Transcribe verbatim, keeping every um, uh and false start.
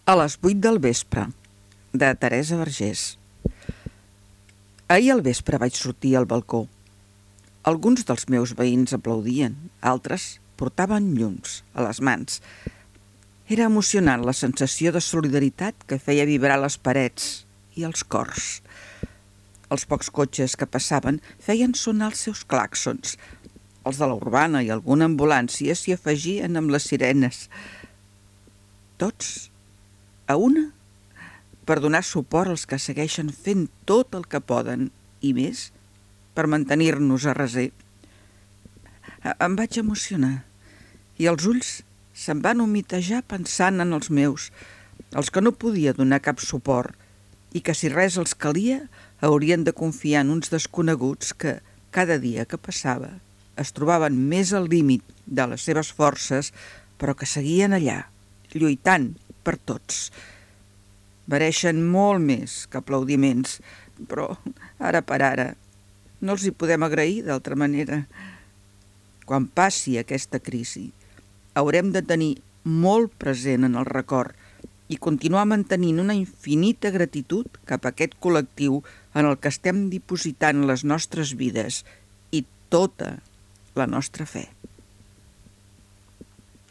A les vuit del vespre, de Teresa Vergés. Ahir al vespre vaig sortir al balcó. Alguns dels meus veïns aplaudien, altres portaven llums a les mans. Era emocionant la sensació de solidaritat que feia vibrar les parets i els cors. Els pocs cotxes que passaven feien sonar els seus clàxons. Els de la urbana i alguna ambulància s'hi afegien amb les sirenes. Tots a una, per donar suport als que segueixen fent tot el que poden i més per mantenir-nos a reser. Em vaig emocionar i els ulls se'm van humitejar pensant en els meus, els que no podia donar cap suport i que si res els calia haurien de confiar en uns desconeguts que cada dia que passava es trobaven més al límit de les seves forces, però que seguien allà, lluitant per tots. Mereixen molt més que aplaudiments, però ara per ara no els hi podem agrair d'altra manera. Quan passi aquesta crisi, haurem de tenir molt present en el record i continuar mantenint una infinita gratitud cap a aquest col·lectiu en el que estem dipositant les nostres vides i tota la nostra fe.